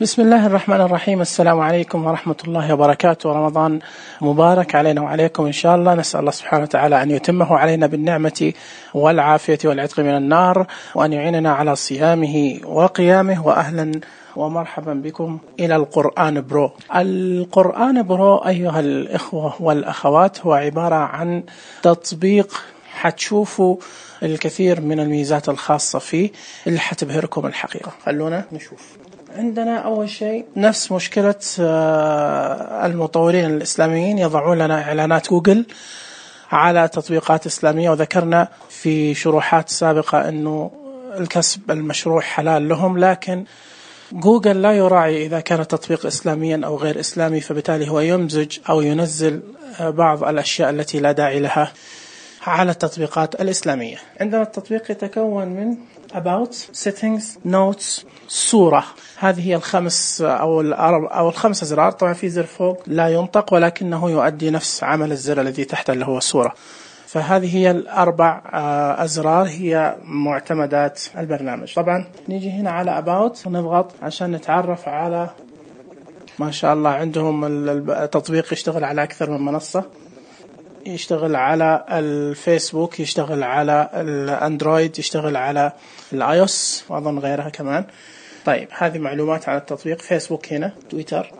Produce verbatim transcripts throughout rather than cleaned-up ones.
بسم الله الرحمن الرحيم. السلام عليكم ورحمة الله وبركاته. رمضان مبارك علينا وعليكم إن شاء الله. نسأل الله سبحانه وتعالى أن يتمه علينا بالنعمة والعافية والعتق من النار، وأن يعيننا على صيامه وقيامه. وأهلا ومرحبا بكم إلى القرآن برو. القرآن برو أيها الإخوة والأخوات هو عبارة عن تطبيق حتشوفوا الكثير من الميزات الخاصة فيه اللي حتبهركم الحقيقة. خلونا نشوف. عندنا أول شيء نفس مشكلة المطورين الإسلاميين، يضعون لنا إعلانات جوجل على تطبيقات إسلامية، وذكرنا في شروحات سابقة أنه الكسب المشروع حلال لهم، لكن جوجل لا يراعي إذا كان التطبيق إسلاميا أو غير إسلامي، فبالتالي هو يمزج أو ينزل بعض الأشياء التي لا داعي لها على التطبيقات الإسلامية. عندنا التطبيق يتكون من About, Settings, Notes, صورة. هذه هي الخمس أو الأربع أو الخمس أزرار. طبعا في زر فوق لا ينطق ولكنه يؤدي نفس عمل الزر الذي تحت اللي هو الصورة. فهذه هي الأربع أزرار هي معتمدات البرنامج. طبعا نيجي هنا على About ونضغط عشان نتعرف على، ما شاء الله عندهم التطبيق يشتغل على أكثر من منصة، يشتغل على الفيسبوك، يشتغل على الأندرويد، يشتغل على الآيوس وأظن غيرها كمان. طيب هذه معلومات عن التطبيق. فيسبوك هنا، تويتر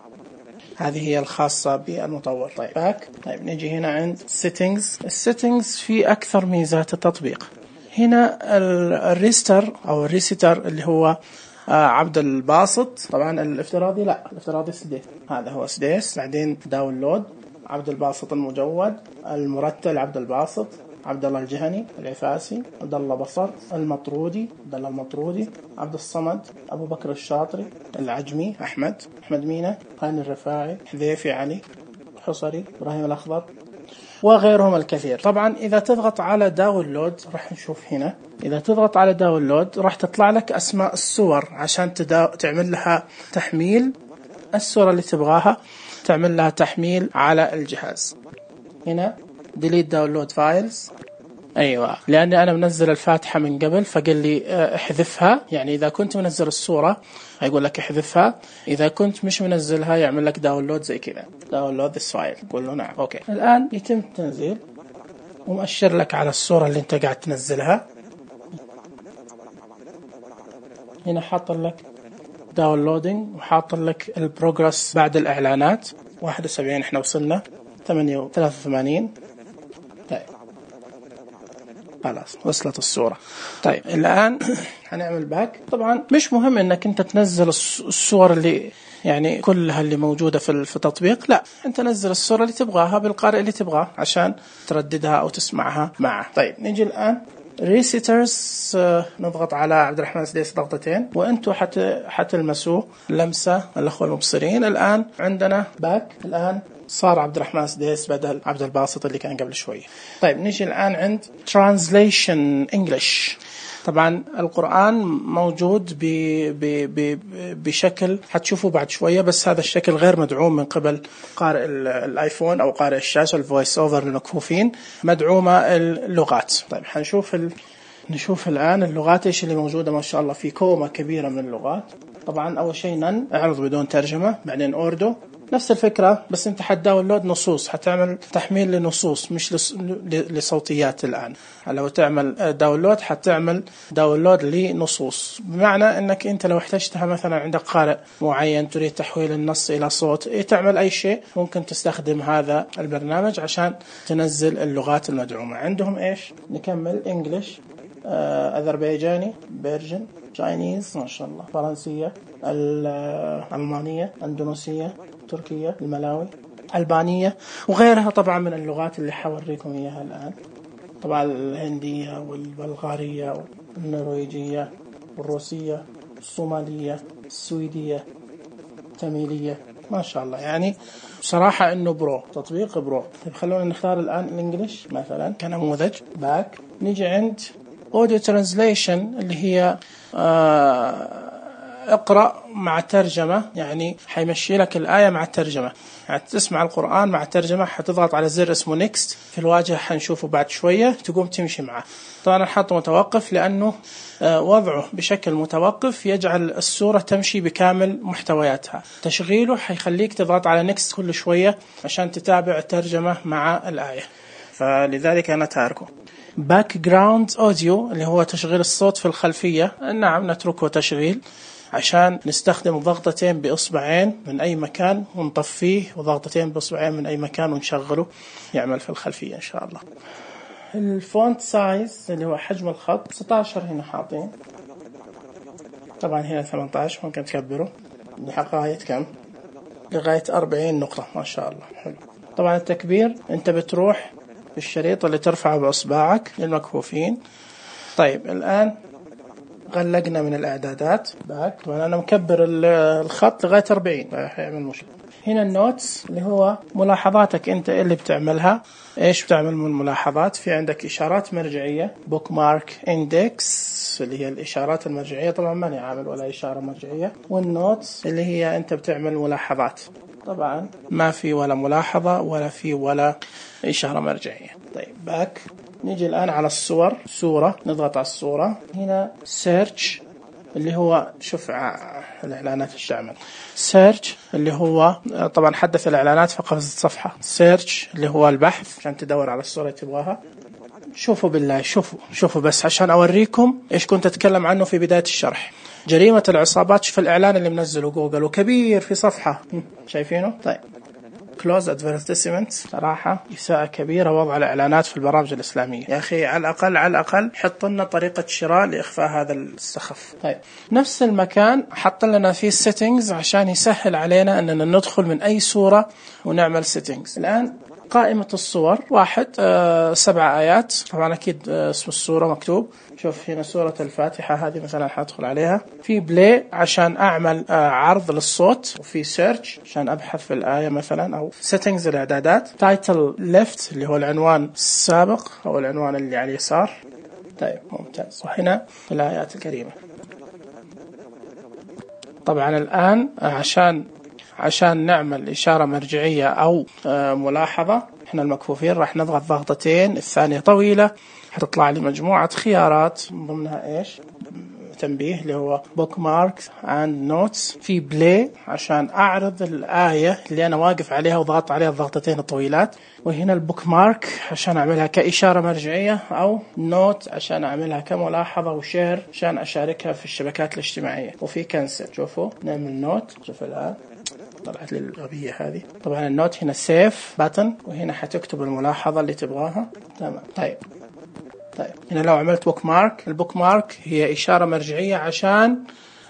هذه هي الخاصة بالمطور. طيب باك. طيب نيجي هنا عند settings. السيتنجز في أكثر ميزات التطبيق. هنا الريستر أو الريستر اللي هو عبد الباسط. طبعا الافتراضي لا، الافتراضي سديس، هذا هو سديس. بعدين داونلود عبد الباسط المجود، المرتل عبد الباسط، عبد الله الجهني العفاسي، عبد الله بصر المطرودي، عبد الله المطرودي، عبد الصمد، أبو بكر الشاطري، العجمي أحمد، أحمد مينا، هاني الرفاعي، حذيفي علي، حصري، إبراهيم الأخضر وغيرهم الكثير. طبعا إذا تضغط على داونلود راح نشوف هنا، إذا تضغط على داونلود راح تطلع لك أسماء الصور عشان تدا... تعمل لها تحميل. الصورة اللي تبغاها تعمل لها تحميل على الجهاز. هنا delete download files. أيوة، لأني أنا منزل الفاتحة من قبل فقال لي احذفها. يعني إذا كنت منزل الصورة هيقول لك احذفها، إذا كنت مش منزلها يعمل لك داونلود زي كذا، download this file. قول له نعم. أوكي. الآن يتم التنزيل ومؤشر لك على الصورة اللي أنت قاعد تنزلها. هنا حاط لك داونلودينج وحاط لك البروجرس بعد الإعلانات. واحد وسبعين احنا وصلنا، ثمانية وثلاثة وثمانين. طيب خلاص وصلت الصورة. طيب الآن هنعمل باك. طبعا مش مهم انك انت تنزل الصور اللي يعني كلها اللي موجودة في التطبيق، لا، انت نزل الصورة اللي تبغاها بالقارئ اللي تبغاه عشان ترددها او تسمعها معه. طيب نيجي الآن ريسيترز. نضغط على عبد الرحمن سديس ضغطتين وانتم حت حتلمسوا لمسة الأخوة المبصرين. الآن عندنا باك. الآن صار عبد الرحمن سديس بدل عبد الباسط اللي كان قبل شوي. طيب نيجي الآن عند Translation English. طبعا القرآن موجود ب ب ب بشكل حتشوفوا بعد شوية، بس هذا الشكل غير مدعوم من قبل قارئ الآيفون أو قارئ الشاشة الفويس أوفر المكفوفين، مدعومة اللغات. طيب حنشوف ال... نشوف الآن اللغات إيش اللي موجودة. ما شاء الله في كومة كبيرة من اللغات. طبعا أول شيء نن اعرض بدون ترجمة، بعدين أوردو نفس الفكرة، بس انت حتداونلود نصوص، حتعمل تحميل لنصوص مش لص... لصوتيات. الآن لو تعمل داونلود حتعمل داونلود لنصوص، بمعنى انك انت لو احتجتها مثلا عندك قارئ معين تريد تحويل النص الى صوت، إيه تعمل اي شيء ممكن تستخدم هذا البرنامج عشان تنزل اللغات المدعومة. عندهم ايش؟ نكمل انجليش، أذربيجاني، بيرجن، تشاينيز، ما شاء الله، فرنسية، الألمانية، أندونيسية، تركية، الملاوي، ألبانية وغيرها طبعا من اللغات اللي حوريكم إياها الآن. طبعا الهندية والبلغارية والنرويجية والروسية والصومالية السويدية التاميلية. ما شاء الله، يعني بصراحة إنه برو، تطبيق برو. طيب خلونا نختار الآن الإنجليش مثلا كنموذج. باك. نيجي عند Audio Translation اللي هي آه اقرأ مع ترجمة، يعني حيمشي لك الآية مع الترجمة، يعني تسمع القرآن مع ترجمة، حتضغط على زر اسمه نيكست في الواجهة، حنشوفه بعد شوية، تقوم تمشي معه. طبعا أنا حاطه متوقف لأنه وضعه بشكل متوقف يجعل السورة تمشي بكامل محتوياتها. تشغيله حيخليك تضغط على نيكست كل شوية عشان تتابع الترجمة مع الآية، فلذلك أنا تاركه. باك جراوند أوديو اللي هو تشغيل الصوت في الخلفية، نعم نتركه تشغيل عشان نستخدم ضغطتين بإصبعين من أي مكان ونطفيه، وضغطتين بإصبعين من أي مكان ونشغله يعمل في الخلفية إن شاء الله. الفونت سايز اللي هو حجم الخط ستة عشر هنا حاطين، طبعا هنا ثمانية عشر، ممكن تكبره لغاية كم؟ لغاية أربعين نقطة ما شاء الله. حلو. طبعا التكبير أنت بتروح بالشريط اللي ترفعه بأصبعك للمكفوفين. طيب الآن غلقنا من الإعدادات باك، طبعا أنا مكبر الخط لغاية أربعين فهيعمل مشكلة. هنا النوتس اللي هو ملاحظاتك أنت اللي بتعملها. إيش بتعمل من الملاحظات؟ في عندك إشارات مرجعية، بوك مارك إندكس اللي هي الإشارات المرجعية، طبعا ماني عامل ولا إشارة مرجعية، والنوتس اللي هي أنت بتعمل ملاحظات، طبعا ما في ولا ملاحظة ولا في ولا إشارة مرجعية. طيب باك، نيجي الآن على الصور، صورة نضغط على الصورة، هنا سيرش اللي هو شوف الإعلانات ايش تعمل، سيرش اللي هو طبعا حدث الإعلانات في قفزة صفحة، سيرش اللي هو البحث عشان تدور على الصورة اللي تبغاها. شوفوا بالله، شوفوا شوفوا بس عشان أوريكم إيش كنت أتكلم عنه في بداية الشرح، جريمة العصابات. شوف الإعلان اللي منزله جوجل وكبير في صفحة، شايفينه؟ طيب close advertisement، صراحة إساءة كبيرة وضع الإعلانات في البرامج الإسلامية. يا أخي على الأقل على الأقل حط لنا طريقة شراء لإخفاء هذا السخف. طيب نفس المكان حط لنا فيه settings عشان يسهل علينا أننا ندخل من أي صورة ونعمل settings. الآن قائمة الصور واحد آه سبع آيات، طبعا أكيد آه اسم الصورة مكتوب. شوف هنا سورة الفاتحة هذه مثلا حادخل عليها، في بلاي عشان أعمل آه عرض للصوت، وفي سيرش عشان أبحث في الآية مثلا، أو settings الإعدادات، تايتل ليفت اللي هو العنوان السابق أو العنوان اللي على اليسار. طيب ممتاز. وهنا الآيات الكريمة. طبعا الآن عشان عشان نعمل إشارة مرجعية أو ملاحظة، إحنا المكفوفين راح نضغط ضغطتين، الثانية طويلة، هتطلع لي مجموعة خيارات من ضمنها إيش؟ تنبيه اللي هو book marks and notes، في بلاي عشان أعرض الآية اللي أنا واقف عليها وضغط عليها الضغطتين الطويلات، وهنا البوك مارك عشان أعملها كإشارة مرجعية، أو نوت عشان أعملها كملاحظة وشير عشان أشاركها في الشبكات الاجتماعية، وفي كنسل. شوفوا نعمل نوت، شوف الآن طلعت لي الغبية هذه. طبعا النوت هنا سيف باتن، وهنا حتكتب الملاحظة اللي تبغاها. تمام. طيب طيب هنا لو عملت بوك مارك، البوك مارك هي إشارة مرجعية عشان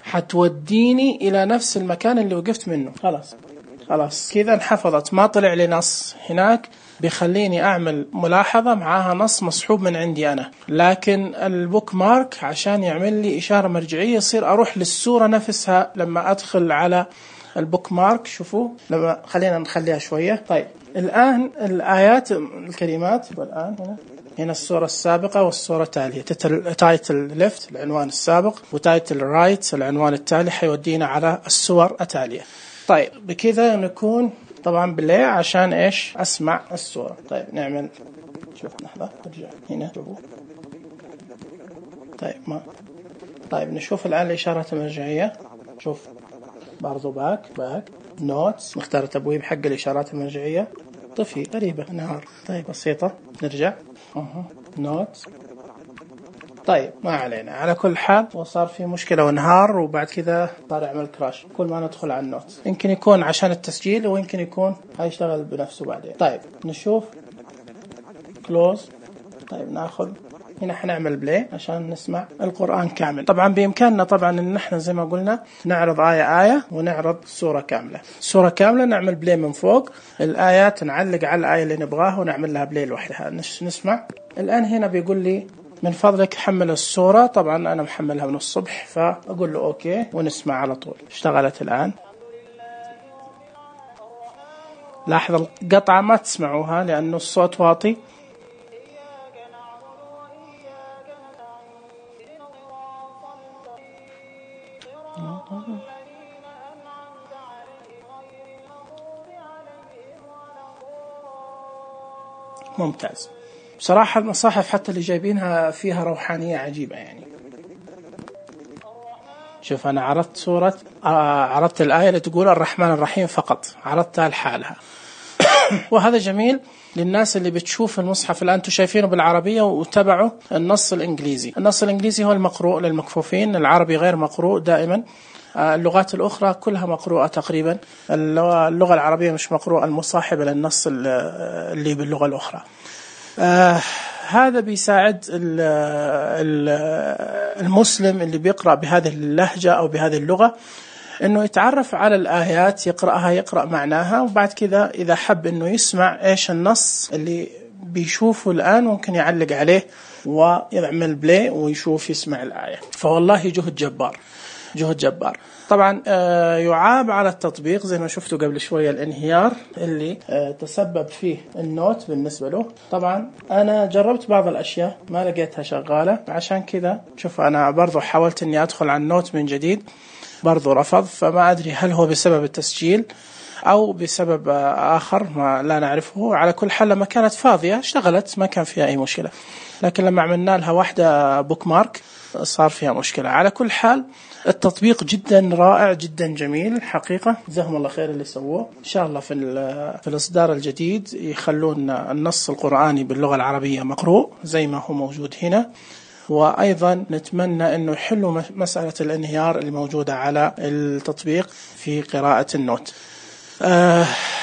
حتوديني إلى نفس المكان اللي وقفت منه. خلاص خلاص كذا انحفظت، ما طلع لي نص هناك بيخليني أعمل ملاحظة معاها نص مصحوب من عندي أنا. لكن البوك مارك عشان يعمل لي إشارة مرجعية يصير أروح للسورة نفسها لما أدخل على البوك مارك. شوفوا لما خلينا نخليها شوية. طيب الآن الآيات الكلمات، والآن هنا هنا الصورة السابقة والصورة التالية، تايتل ليفت العنوان السابق، وتايتل رايت العنوان التالي، حيودينا على الصور التالية. طيب بكذا نكون طبعا بلاي عشان إيش؟ أسمع الصورة. طيب نعمل، شوف لحظة أرجع هنا شوفوا. طيب ما طيب نشوف الآن الإشارات المرجعية. شوف برضو باك باك نوتس، مختار تبويب حق الإشارات المرجعية، طفي غريبة نهار. طيب بسيطة نرجع أه. نوت. طيب ما علينا، على كل حال وصار في مشكلة وانهار، وبعد كذا صار يعمل كراش كل ما ندخل على النوت. يمكن يكون عشان التسجيل، ويمكن يكون هيشتغل بنفسه بعدين. طيب نشوف كلوز. طيب ناخذ هنا حنعمل بلاي عشان نسمع القرآن كامل. طبعا بإمكاننا طبعا إن نحن زي ما قلنا نعرض آية آية ونعرض سورة كاملة. سورة كاملة نعمل بلاي من فوق، الآيات نعلق على الآية اللي نبغاها ونعمل لها بلاي لوحدها نسمع. الآن هنا بيقول لي من فضلك حمل الصورة، طبعا أنا محملها من الصبح فأقول له أوكي ونسمع على طول. اشتغلت الآن. لاحظ القطعة ما تسمعوها لأنه الصوت واطي. ممتاز. بصراحة المصاحف حتى اللي جايبينها فيها روحانية عجيبة يعني. شوف أنا عرضت سورة آه عرضت الآية اللي تقول الرحمن الرحيم فقط، عرضتها لحالها وهذا جميل للناس اللي بتشوف المصحف الآن انتم شايفينه بالعربية وتبعوا النص الإنجليزي. النص الإنجليزي هو المقروء للمكفوفين، العربي غير مقروء دائما. اللغات الأخرى كلها مقروءة تقريبا، اللغة العربية مش مقروءة المصاحبة للنص اللي باللغة الأخرى. آه هذا بيساعد المسلم اللي بيقرأ بهذه اللهجة أو بهذه اللغة إنه يتعرف على الآيات، يقرأها يقرأ معناها، وبعد كذا إذا حب إنه يسمع إيش النص اللي بيشوفه الآن ممكن يعلق عليه ويعمل بلاي ويشوف يسمع الآية. فوالله جهد جبار، جهد جبار. طبعا يعاب على التطبيق زي ما شفتوا قبل شوية الانهيار اللي تسبب فيه النوت بالنسبة له. طبعا أنا جربت بعض الأشياء ما لقيتها شغالة، عشان كذا شوف أنا برضو حاولت أني أدخل على النوت من جديد برضو رفض. فما أدري هل هو بسبب التسجيل أو بسبب آخر ما لا نعرفه. على كل حال لما كانت فاضية اشتغلت ما كان فيها أي مشكلة، لكن لما عملنا لها واحدة بوك مارك صار فيها مشكلة. على كل حال التطبيق جدا رائع جدا جميل حقيقة، جزاهم الله خير اللي سووه. إن شاء الله في في الإصدار الجديد يخلون النص القرآني باللغة العربية مقروء زي ما هو موجود هنا، وأيضا نتمنى أنه يحلوا مسألة الانهيار اللي موجودة على التطبيق في قراءة النوت.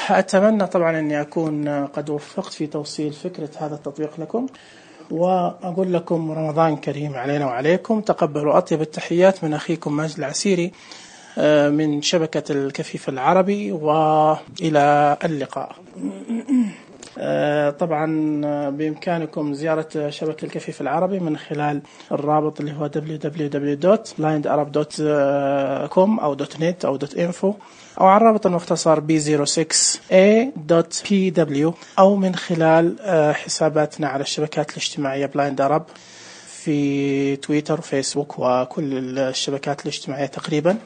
أتمنى طبعا أني أكون قد وفقت في توصيل فكرة هذا التطبيق لكم، وأقول لكم رمضان كريم علينا وعليكم. تقبلوا أطيب التحيات من أخيكم ماجد العسيري من شبكة الكفيف العربي، وإلى اللقاء. طبعا بإمكانكم زيارة شبكة الكفيف العربي من خلال الرابط اللي هو دبليو دبليو دبليو دوت بلايند أرب دوت كوم أو .net أو .info، أو على الرابط المختصر بي صفر ستة إيه دوت بي دبليو، أو من خلال حساباتنا على الشبكات الاجتماعية بلايند أرب في تويتر وفيسبوك وكل الشبكات الاجتماعية تقريبا.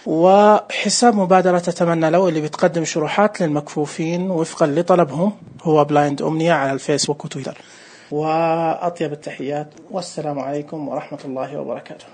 وحساب مبادرة تتمنى لو اللي بتقدم شروحات للمكفوفين وفقا لطلبهم هو بلايند أمنية على الفيسبوك وتويتر. وأطيب التحيات والسلام عليكم ورحمة الله وبركاته.